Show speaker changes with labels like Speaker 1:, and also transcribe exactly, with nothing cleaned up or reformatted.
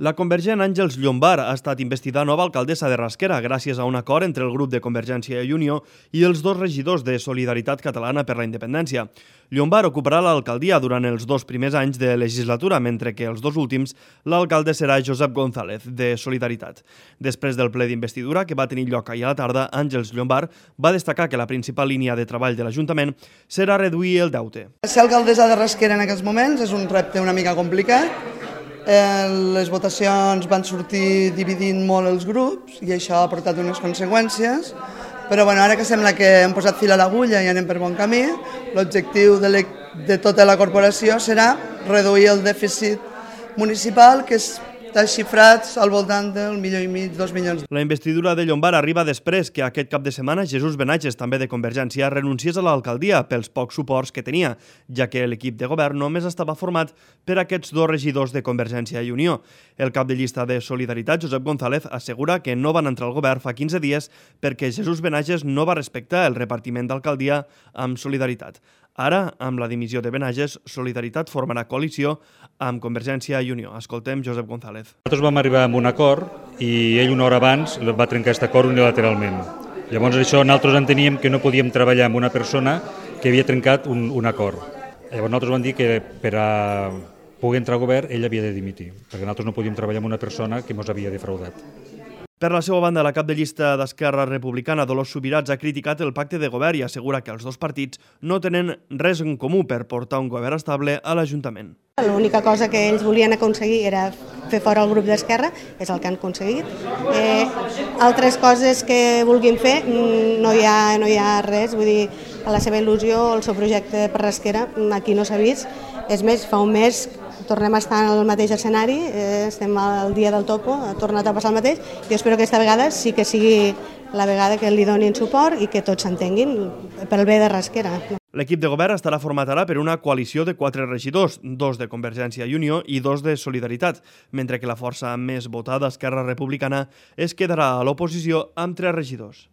Speaker 1: La convergent Àngels Llombart ha estat investida nova alcaldessa de Rasquera gràcies a un acord entre el grup de Convergència i Unió i els dos regidors de Solidaritat Catalana per la Independència. Llombart ocuparà l'alcaldia durant els dos primers anys de legislatura, mentre que els dos últims l'alcalde serà Josep González, de Solidaritat. Després del ple d'investidura que va tenir lloc ahir a la tarda, Àngels Llombart va destacar que la principal línia de treball de l'Ajuntament serà reduir el deute.
Speaker 2: Ser alcaldessa de Rasquera en aquests moments és un repte una mica complicat. Eh, les votacions van sortir dividint molt els grups i això ha portat unes conseqüències, però bueno, ara que sembla que hem posat fil a l'agulla i anem per bon camí, l'objectiu de, de tota la corporació serà reduir el dèficit municipal, que està xifrat al voltant del milió i mig, dos milions.
Speaker 1: La investidura de Llombart arriba després que aquest cap de setmana Jesús Benages, també de Convergència, renunciés a l'alcaldia pels pocs suports que tenia, ja que l'equip de govern només estava format per aquests dos regidors de Convergència i Unió. El cap de llista de Solidaritat, Josep González, assegura que no van entrar al govern fa quinze dies perquè Jesús Benages no va respectar el repartiment d'alcaldia amb Solidaritat. Ara, amb la dimissió de Benages, Solidaritat formarà coalició amb Convergència i Unió. Escoltem Josep González.
Speaker 3: Nosaltres vam arribar a un acord i ell una hora abans va trencar aquest acord unilateralment. Llavors això nosaltres enteníem que no podíem treballar amb una persona que havia trencat un, un acord. Llavors nosaltres vam dir que per a poder entrar al govern ell havia de dimitir, perquè nosaltres no podíem treballar amb una persona que ens havia defraudat.
Speaker 1: Per la seva banda, la cap de llista d'Esquerra Republicana, Dolors Subirats, ha criticat el pacte de govern i assegura que els dos partits no tenen res en comú per portar un govern estable a l'Ajuntament.
Speaker 4: L'única cosa que ells volien aconseguir era fer fora el grup d'Esquerra, és el que han aconseguit. Eh, altres coses que vulguin fer no hi ha, no hi ha res, vull dir, a la seva il·lusió, el seu projecte per Rasquera, aquí no s'ha vist. És més, fa un mes tornem a estar en el mateix escenari, eh, estem al dia del topo, ha tornat a passar el mateix, i espero que aquesta vegada sí que sigui la vegada que li donin suport i que tots s'entenguin pel bé de Rasquera.
Speaker 1: L'equip de govern estarà format ara per una coalició de quatre regidors, dos de Convergència i Unió i dos de Solidaritat, mentre que la força més votada, Esquerra Republicana, es quedarà a l'oposició amb tres regidors.